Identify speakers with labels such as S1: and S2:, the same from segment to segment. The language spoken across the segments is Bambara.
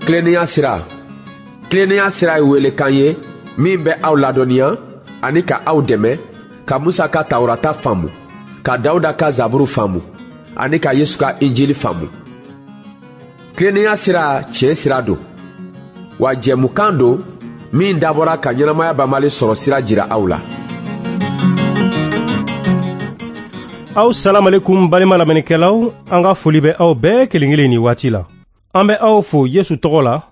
S1: Tilennenya sira. Tilennenya sira ye welekan ye min bɛ aw ladɔnniya ani ka aw dɛmɛ ka Musa ka Tawurata faamu, ka Dawuda ka Zaburu faamu ani ka Yesu ka Injili faamu. Tilennenya sira tiɲɛ sira don, wa jɛmukan don min dabɔra ka ɲɛnamaya banbali sɔrɔ sira jira aw la.
S2: Aw salamalekum balima lamɛnnikɛlaw, an ka foli bɛ aw bɛɛ kelen kelen nin waati la. An bɛ aw fo Yesu tɔgɔ la.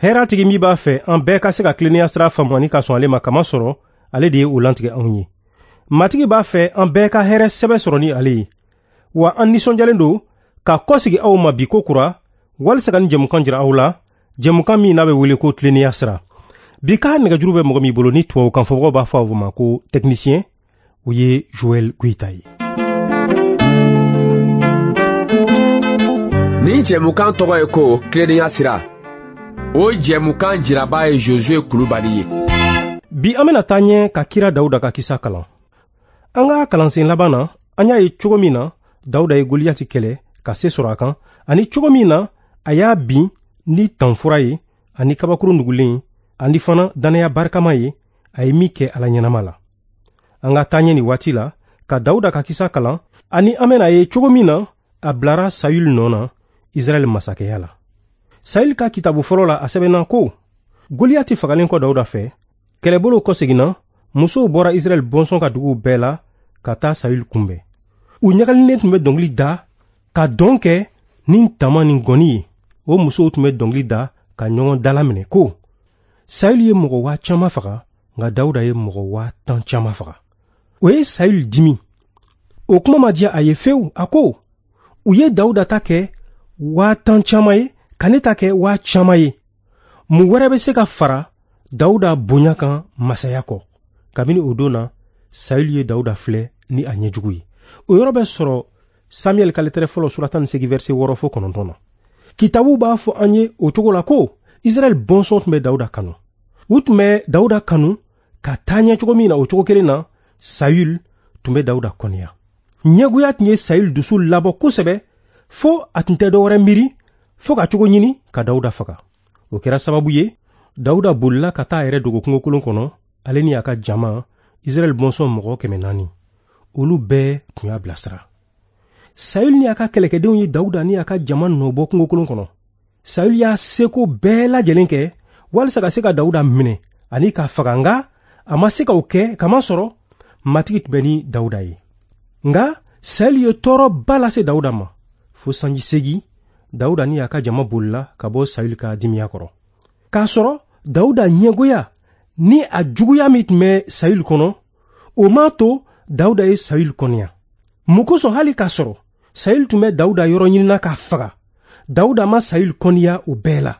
S2: Hɛrɛtigi min b'a fɛ an bɛɛ ka se ka tilennenya sira faamu ani ka sɔn ale ma, kamasɔrɔ ale de ye o lantigɛ anw ye. Matigi b'a fɛ an bɛɛ ka hɛrɛ sɛbɛ sɔrɔ ni ale ye. Wa an nisɔndiyalen don ka kɔsegi aw ma bi ko kura walisa ka nin jɛmukan jira aw la, jɛmukan min n'a bɛ wele ko tilennenya sira. Bi ka nɛgɛjuru bɛ mɔgɔ min bolo ni tubabukan fɔbagaw b'a fɔ a ma ko technicien, o ye Joël Goïta ye.
S1: Nin jɛmukan tɔgɔ ye ko tilennenya sira. O jɛmukan jiraba ye Josué Kulubali ye.
S2: Bi an bɛna taa ɲɛ ka kira Dawuda ka kisa kalan. An ka kalansen laban na, an y'a ye cogo min na Dawuda ye Goliyati kɛlɛ ka se sɔrɔ a kan, ani cogo min na a y'a bin ni tanfura ye ani kabakuru nugulen ani fana dannaya barikama ye a ye min kɛ Ala ɲɛnama la. An ka taa ɲɛ nin waati la ka Dawuda ka kisa kalan, ani an bɛna ye cogo min na a bilara Sayul nɔ na Israɛl masakɛya la. Sayul ka kitabu fɔlɔ la, a sɛbɛnna ko Goliyati fagalen kɔ Dawuda fɛ, kɛlɛbolo kɔseginna, musow bɔra Israɛl bɔnsɔn ka duguw bɛɛ la ka taa Sayul kunbɛn. U ɲagalinen tun bɛ dɔnkili da ka dɔn kɛ ni tama ni gɔni ye. O musow tun bɛ dɔnkili da ka ɲɔgɔn dalaminɛ ko Sayul ye mɔgɔ 50,000 faga, nka Dawuda ye mɔgɔ 10,000 caman faga. O ye Sayul dimi. O kuma ma diya a ye fewu. A ko u ye Dawuda ta kɛ 10,000 caman ye, ka ne ta kɛ 50,000 ye. Mun wɛrɛ bɛ se ka fara Dawuda bonya kan masaya kɔ? Kabini o don na, Sayul ye Dawuda filɛ ni a ɲɛjugu ye. O yɔrɔ bɛ sɔrɔ Samuel ka lɛtɛrɛ fɔlɔ sura 18 verset 6 fo 9 na. Kitabu b'a fɔ an ye o cogo la ko Israɛl bɔnsɔn tun bɛ Dawuda kanu. U tun bɛ Dawuda kanu ka taa ɲɛ cogo min na, o cogo kelen na Sayul tun bɛ Dawuda kɔniya. Ɲɛgoya tun ye Sayul dusu labɔ kosɛbɛ fo a tun tɛ dɔwɛrɛ miiri fo ka cogo ɲini ka Dawuda faga. O kɛra sababu ye Dawuda bolila ka taa a yɛrɛ dogo kungokolon kɔnɔ, ale ni a ka jama Israɛl bɔnsɔn mɔgɔ 400. Olu bɛɛ tun y'a bilasira. Sayul ni a ka kɛlɛkɛdenw ye Dawuda ni a ka jama nɔbɔ kungokolon kɔnɔ. Sayul y'a seko bɛɛ lajɛlen kɛ walisa ka se ka Dawuda minɛ ani k'a faga, nka a ma se ka o kɛ kamasɔrɔ Matigi tun bɛ ni Dawuda ye. Nka Sayul ye tɔɔrɔba lase Dawuda ma fo sanji 8. Dawuda ni a ka jama bolila ka bɔ Sayul ka dimiya kɔrɔ. K'a sɔrɔ Dawuda ɲɛgoya ni a juguya min tun bɛ Sayul kɔnɔ, o m'a to Dawuda ye Sayul kɔniya. Mun kosɔn hali k'a sɔrɔ Sayul tun bɛ Dawuda yɔrɔ ɲinina k'a faga, Dawuda ma Sayul kɔniya o bɛɛ la.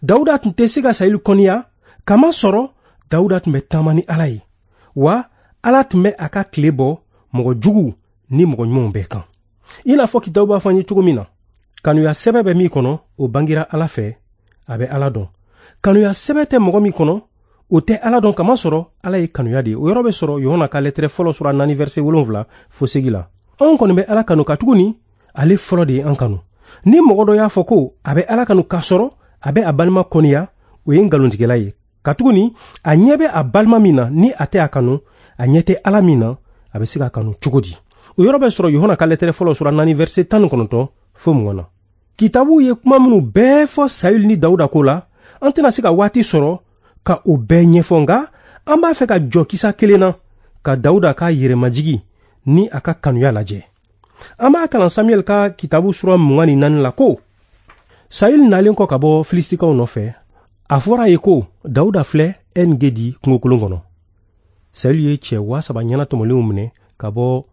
S2: Dawuda tun tɛ se ka Sayul kɔniya kamasɔrɔ Dawuda tun bɛ taama ni Ala ye, wa Ala tun bɛ a ka tile bɔ mɔgɔ juguw ni mɔgɔ ɲumanw bɛɛ kan. I n'a fɔ kitabu b'a fɔ an ye cogo min na, kanuya sɛbɛ bɛ min kɔnɔ, o bangira Ala fɛ, a bɛ Ala dɔn. Kanuya sɛbɛ tɛ mɔgɔ min kɔnɔ, o tɛ Ala dɔn, kamasɔrɔ Ala ye kanuya de ye. O yɔrɔ bɛ sɔrɔ Yohana ka lɛtɛrɛ fɔlɔ sura 4 verset 7 fo 8 la. Anw kɔni bɛ Ala kanu katuguni ale fɔlɔ de ye an kanu. Ni mɔgɔ dɔ y'a fɔ ko a bɛ Ala kanu k'a sɔrɔ a bɛ a balima kɔniya, o ye nkalontigɛla ye. Katuguni a ɲɛ bɛ a balima min na ni a tɛ a kanu, a ɲɛ tɛ Ala min na, a bɛ se k'a kanu cogo di? O yɔrɔ bɛ sɔrɔ Yohana ka lɛtɛrɛ fɔlɔ sura 4 verset 19 fo 20 na. Kitabu ye kuma minnu bɛɛ fɔ Sayul ni Dawuda ko la, an tɛna se ka waati sɔrɔ ka o bɛɛ ɲɛfɔ, nka an b'a fɛ ka jɔ kisa kelen na ka Dawuda ka yɛrɛmajigi ni a ka kanuya lajɛ. An b'a kalan Samuel ka kitabu sura 24 la ko Sayul nalen kɔ ka bɔ Filistikaw nɔfɛ, a fɔra a ye ko Dawuda filɛ En-Gedi kungokolon kɔnɔ. Sayul ye cɛ 3000 ɲɛnatɔmɔlenw minɛ ka bɔ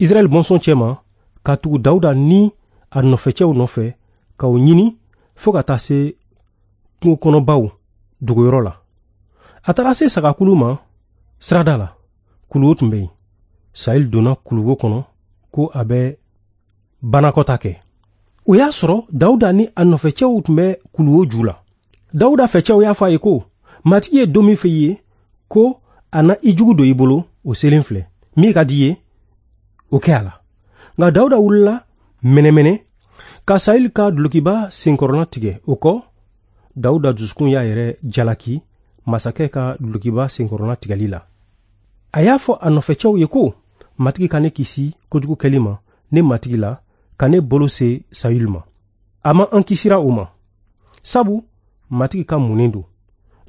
S2: Israɛl bɔnsɔn cɛma ka tugu Dawuda ni a nɔfɛcɛw nɔfɛ ka o ɲini fo ka taa se kungokɔnɔbaw dogoyɔrɔ la. A taara se sagakulu ma sirada la, kuluwo tun bɛ yen. Sayul donna kuluwo kɔnɔ ko a bɛ banakɔta kɛ. O y'a sɔrɔ Dawuda ni a nɔfɛcɛw tun bɛ kuluwo ju la. Dawuda fɛcɛw y'a fɔ a ye ko Matigi ye don min fɔ i ye ko a na i jugu don i bolo, o selen filɛ. Min ka di i ye, o kɛ a la. Nka Dawuda wulila mɛnɛmɛnɛ Ka Sayuli ka dulokiba senkɔrɔla tigɛ, o kɔ Dawuda dusukun y'a yɛrɛ jalaki masakɛ ka dulokiba senkɔrɔla tigɛli la. A y'a fɔ a nɔfɛcɛw ye ko, Matigi ka ne kisi kojugu kɛli ma ne matigi la, ka ne bolo se Sayuli ma. A ma an kisira o ma, sabu Matigi ka munnen don.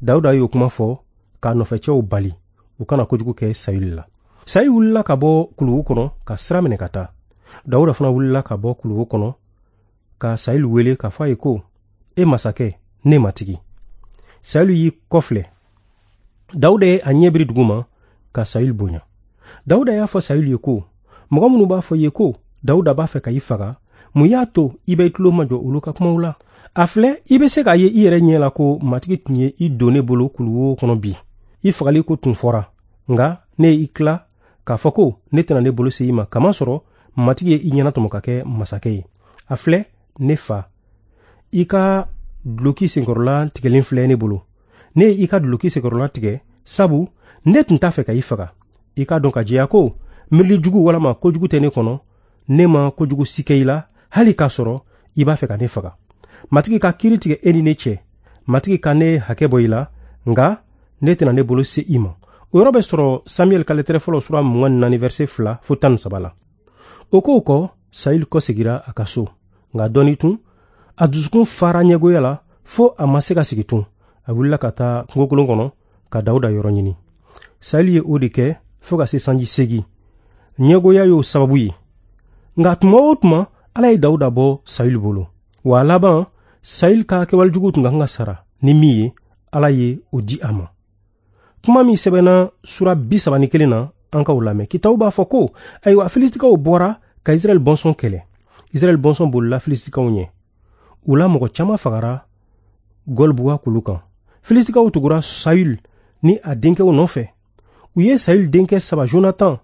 S2: Dawuda y'o kuma fɔ k'a nɔfɛcɛw bali u kana kojugu kɛ Sayuli la. Sayuli wulila ka bɔ kuluwo kɔnɔ ka sira minɛ ka taa. Dawuda fana wulila ka bɔ kuluwo kɔnɔ ka Sayuli wele k'a fɔ a ye ko, e masakɛ, ne matigi. Sayuli y'i kɔfilɛ. Dawuda ye a ɲɛ biri dugu ma ka Sayuli bonya. Dawuda y'a fɔ Sayuli ye ko, mɔgɔ minnu b'a fɔ i ye ko Dawuda b'a fɛ ka i faga, mun y'a to i bɛ i tulo majɔ olu ka kumaw la? A filɛ, i bɛ se k'a ye i yɛrɛ ɲɛ la ko Matigi tun ye i don ne bolo kuluwo kɔnɔ bi. I fagali ko tun fɔra, nka ne ye i tila k'a fɔ ko ne tɛna ne bolo se i ma, kamasɔrɔ Matigi ye i ɲɛnatɔmɔ ka kɛ masakɛ ye. A filɛ, ne fa, i ka duloki senkɔrɔla tigɛlen filɛ ne bolo. Ne ye i ka duloki senkɔrɔla tigɛ, sabu ne tun t'a fɛ ka i faga. I k'a dɔn ka jɛya ko miirili jugu walama kojugu tɛ ne kɔnɔ, ne ma kojugu si kɛ i la, hali k'a sɔrɔ i b'a fɛ ka ne faga. Matigi ka kiiri tigɛ e ni ne cɛ. Matigi ka ne hakɛ bɔ i la, nka ne tɛna ne bolo se i ma. O yɔrɔ bɛ sɔrɔ Samuɛl ka lɛtɛrɛ fɔlɔ sura 24 verset 2 fo 13 la. O kow kɔ, Sayuli kɔsegira a ka so, nka dɔɔni tun, a dusukun fara ɲɛgoya la fo a ma se ka sigi tun. A wulila ka taa kungokolon kɔnɔ ka Dawuda yɔrɔ ɲini. Sayuli ye o de kɛ fo ka se sanji 8. Ɲɛgoya y'o sababu ye. Nka tuma o tuma, Ala ye Dawuda bɔ Sayuli bolo. Wa a laban, Sayuli ka kɛwalejugu tun ka kan ka sara ni min ye, Ala ye o di a ma. Kuma min sɛbɛnna sura 31 na, an k'o lamɛn. Kitabu b'a fɔ ko, ayiwa, Filisitikaw bɔra ka Israɛl bɔnsɔn kɛlɛ. Israɛl bɔnsɔn bolila Filisitikaw ɲɛ. U la mɔgɔ caman fagara Gɔlbuwa kulu kan. Filisitikaw tugura Sayuli ni a denkɛw nɔfɛ. U ye Sayuli denkɛ 3, Jonatan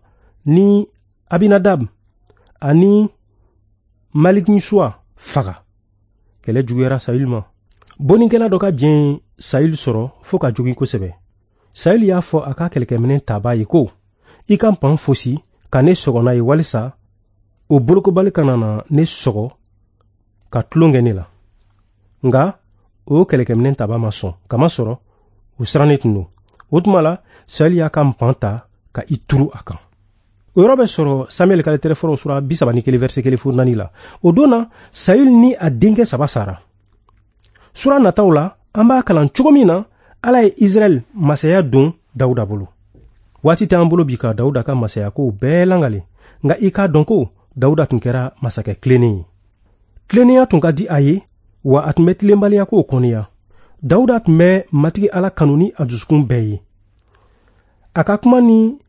S2: ni Abinadab ani Malikisuwa faga. Kɛlɛ juguyara Sayuli ma. Bonnikɛla dɔ ka jɛn Sayuli sɔrɔ fo ka jogin kosɛbɛ. Sayuli y'a fɔ a ka kɛlɛkɛminɛn tabaa ye ko, i ka npan fosi ka ne sɔgɔ n'a ye walisa o bolokobali kana na ne sɔgɔ ka tulon kɛ ne la. Nka o kɛlɛkɛminɛn tabaa ma sɔn, kamasɔrɔ o sirannen tun don. O tuma la, Sayuli y'a ka npan ta ka i turu a kan. O yɔrɔ bɛ sɔrɔ Samuɛl ka lɛtɛrɛ fɔlɔ sura 31 verset 1 fo 4 la. O don na, Sayuli ni a denkɛ 3 sara. Sura nataw la, an b'a kalan cogo min na, Ala ye Israɛl masaya don Dawuda bolo. Waati t'an bolo bi ka Dawuda ka masaya kow bɛɛ langale, nka i k'a dɔn ko Dawuda tun kɛra masakɛ tilennen ye. Tilennenya tun ka di a ye, wa a tun bɛ tilenbaliya kow kɔniya. Dawuda tun bɛ Matigi Ala kanu ni a dusukun bɛɛ ye. A ka kuma ni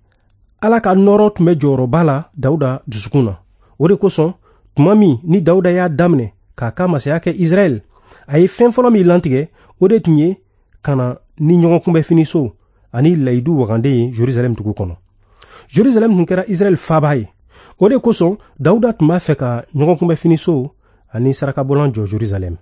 S2: Ala ka nɔɔrɔ tun bɛ jɔyɔrɔba la Dawuda dusukun na. O de kosɔn, tuma min ni Dawuda y'a daminɛ k'a ka masaya kɛ Israɛl, a ye fɛn fɔlɔ min lantigɛ, o de tun ye ka na ni ɲɔgɔn kunbɛfiniso ani layidu waganden ye Jerusalɛm dugu kɔnɔ. Jerusalɛm tun kɛra Israɛl faaba ye. O de kosɔn, Dawuda tun b'a fɛ ka ɲɔgɔn kunbɛfiniso ani sarakabɔlan jɔ Jerusalɛm.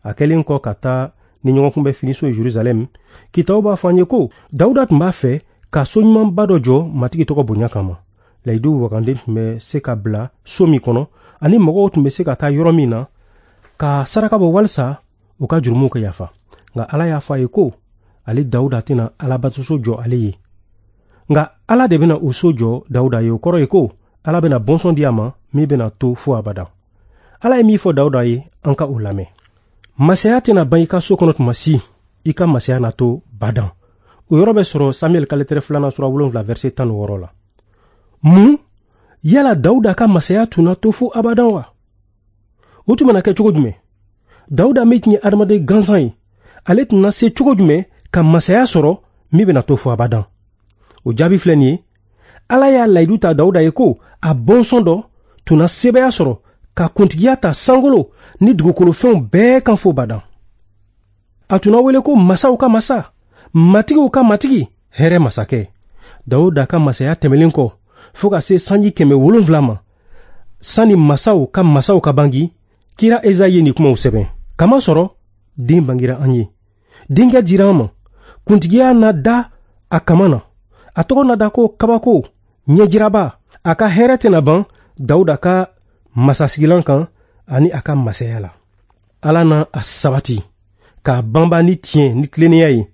S2: A kɛlen kɔ ka taa ni ɲɔgɔn kunbɛfiniso ye Jerusalɛm, kitabu b'a fɔ an ye ko Dawuda tun b'a fɛ ka so ɲumanba dɔ jɔ Matigi tɔgɔ bonya kama. Layidu waganden tun bɛ se ka bila so min kɔnɔ, ani mɔgɔw tun bɛ se ka taa yɔrɔ min na ka saraka bɔ walisa u ka jurumuw ka yafa. Nka Ala y'a fɔ a ye ko ale Dawuda tɛna Alabatoso jɔ ale ye. Nka Ala de bɛna o so jɔ Dawuda ye. O kɔrɔ ye ko Ala bɛna bɔnsɔn di a ma min bɛna to fo abada. Ala ye min fɔ Dawuda ye, an ka o lamɛn. Masaya tɛna ban i ka so kɔnɔ tuma si, i ka masaya na to badan. O yɔrɔ bɛ sɔrɔ Samuɛl ka lɛtɛrɛ 2 sura 7 verset 16 la. Mun yala Dawuda ka masaya tun na to fo abadan wa? O tun bɛna kɛ cogo jumɛn? Dawuda min tun ye adamaden gansan ye, ale tun na se cogo jumɛn ka masaya sɔrɔ min bɛna to fo abadan? O jaabi filɛ nin ye. Ala y'a layidu ta Dawuda ye ko a bɔnsɔn dɔ tun na sebaaya sɔrɔ ka kuntigiya ta sankolo ni dugukolofɛnw bɛɛ kan fo badan. A tun na wele ko masaw ka masa, matigiw ka matigi, hɛrɛ masakɛ. Dawuda ka masaya tɛmɛlen kɔ fo ka se sanji 700 ma, sanni masaw ka masaw ka bangi, kira Ezayi ye nin kumaw sɛbɛn. Kamasɔrɔ den bangira an ye, denkɛ dira an ma, kuntigiya na da a kama na, a tɔgɔ na da ko kabako, ɲɛjiraba. A ka hɛrɛ tɛna ban Dawuda ka masasigilan kan ani a ka masaya la. Ala na a sabati k'a banba ni tiɲɛ ni tilennenya ye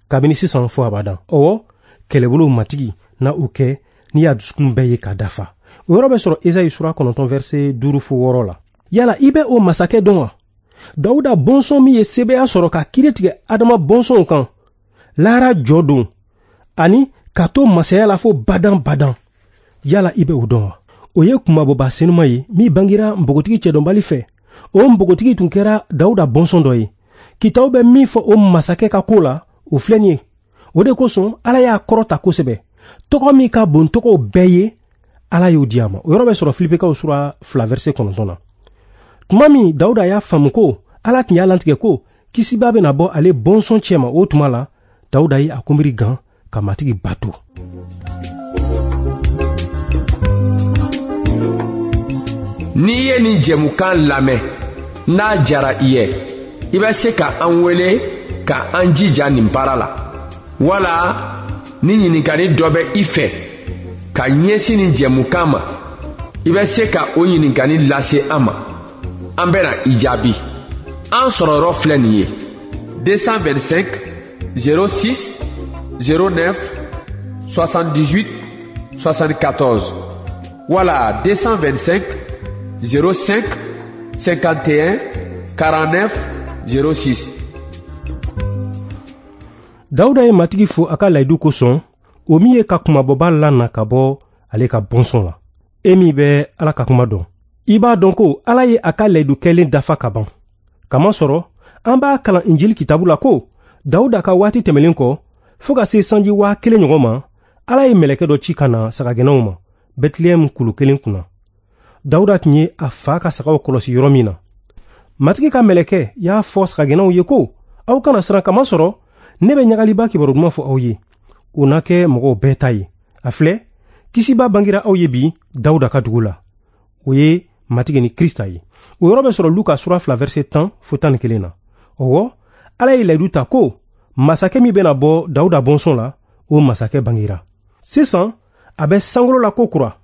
S2: kabini sisan fo abadan. Ɔwɔ, kɛlɛbolo matigi na o kɛ n'i y'a dusukun bɛɛ ye k'a dafa. O yɔrɔ bɛ sɔrɔ Esayi sura 9 verset 5 fo 6 la. Yala i bɛ o masakɛ dɔn wa? Dawuda bɔnsɔn min ye sebaaya sɔrɔ ka kiiri tigɛ Adama bɔnsɔnw kan, lahara jɔ don, ani ka to masaya la fo badan badan. Yala i bɛ o dɔn wa? O ye kunmabɔba senuma ye min bangira npogotigi cɛdɔnbali fɛ. O npogotigi tun kɛra Dawuda bɔnsɔn dɔ ye. Kitabu bɛ min fɔ o masakɛ ka ko la, o filɛ nin ye. O de kosɔn Ala y'a kɔrɔta kosɛbɛ. Tɔgɔ min ka bon tɔgɔw bɛɛ ye, Ala y'o di a ma. O yɔrɔ bɛ sɔrɔ Filipekaw sura 2 verset 9 na. Tuma min Dawuda y'a faamu ko Ala tun y'a latigɛ ko kisiba bɛna bɔ ale bɔnsɔn cɛma, o tuma la Dawuda ye a kunbiri gan ka Matigi bato.
S1: N'i ye nin jɛmukan lamɛn, n'a diyara i ye, i bɛ se ka an wele ka an jija nin baara la. Wala ni ɲininkali dɔ bɛ i fɛ ka ɲɛsin nin jɛmukan ma, i bɛ se ka o ɲininkali lase an ma. An bɛna i jaabi. An sɔrɔyɔrɔ filɛ nin ye: 225 06 09 78 74 wala 225 05 51 49 06.
S2: Dawuda ye Matigi fo a ka layidu kosɔn, o min ye ka kunmabɔba lana ka bɔ ale ka bɔnsɔn la. E min bɛ Ala ka kuma dɔn, i b'a dɔn ko Ala ye a ka layidu kɛlen dafa ka ban. Kamasɔrɔ an b'a kalan Injili kitabu la ko Dawuda ka waati tɛmɛlen kɔ, fo ka se sanji 1000 ɲɔgɔn ma, Ala ye mɛlɛkɛ dɔ ci ka na sagagɛnnaw ma Bɛtilɛhɛm kulu kelen kunna. Dawuda tun ye a fa ka sagaw kɔlɔsi yɔrɔ min na. Matigi ka mɛlɛkɛ y'a fɔ sagagɛnnaw ye ko, aw kana siran, kamasɔrɔ ne bɛ ɲagaliba kibaru duman fɔ aw ye. O na kɛ mɔgɔw bɛɛ ta ye. A filɛ, kisiba bangira aw ye bi Dawuda ka dugu la. O ye Matigi ni Krista ye. O yɔrɔ bɛ sɔrɔ Luka sura 2 verset 10 fo 11 na. Ɔwɔ, Ala ye layidu ta ko masakɛ min bɛna bɔ Dawuda bɔnsɔn la, o masakɛ bangira. Sisan a bɛ sankolo la ko kura,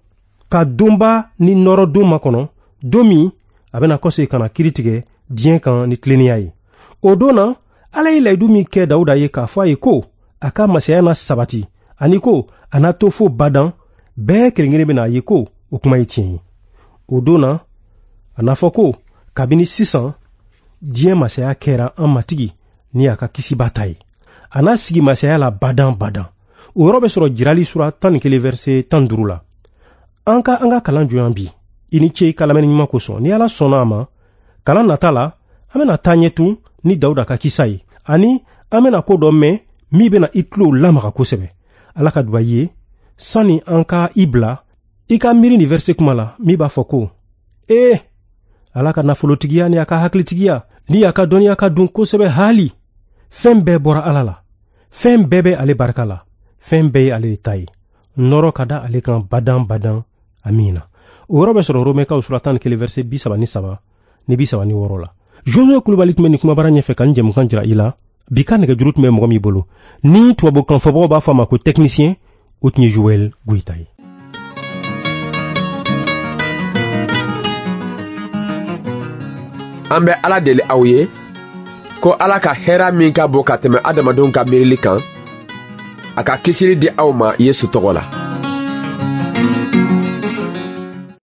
S2: ka donba ni nɔrɔ don makɔnɔ, don min a bɛna kɔsegin ka na kiiri tigɛ diɲɛ kan ni tilennenya ye. O don na, Ala ye layidu min kɛ Dawuda ye k'a fɔ a ye ko a ka masaya na sabati, ani ko a na to fo badan, bɛɛ kelen kelen bɛna a ye ko o kuma ye tiɲɛ ye. O don na, a n'a fɔ ko kabini sisan diɲɛ masaya kɛra an Matigi ni a ka kisiba ta ye. A n'a sigi masaya la badan badan. O yɔrɔ bɛ sɔrɔ Jirali sura 11 verset 15 la. An ka an ka kalan jɔ yan bi. I ni ce i ka lamɛnni ɲuman kosɔn. Ni Ala sɔnna a ma, kalan nata la, an bɛna taa ɲɛ tun ni Dawuda ka kisa ye, ani an bɛna ko dɔ mɛn min bɛna i tulo lamaga kosɛbɛ. Ala ka duba i ye. Sani an ka i bila, i ka miiri nin verset kuma la min b'a fɔ ko, ee, Ala ka nafolotigiya ni a ka hakilitigiya ni a ka dɔnniya ka dun kosɛbɛ haali. Fɛn bɛɛ bɔra Ala la. Fɛn bɛɛ bɛ ale barika la. Fɛn bɛɛ ye ale de ta ye. Nɔrɔ ka da ale kan badan badan. Amiina. O yɔrɔ bɛ sɔrɔ Romɛkaw sura 11 verset 33 ni 36 la. Josue Kulubali tun bɛ nin kumabara ɲɛfɛ ka nin jɛmukan jira i la. Bi ka nɛgɛjuru tun bɛ mɔgɔ min bolo, ni tubabukan fɔbagaw b'a fɔ a ma ko technicien, o tun ye Joël Goyita ye.
S1: An bɛ Ala deli aw ye ko Ala ka hɛrɛ min ka bon ka tɛmɛ adamadenw ka miirili kan, a ka kisili di aw ma Yesu tɔgɔ la.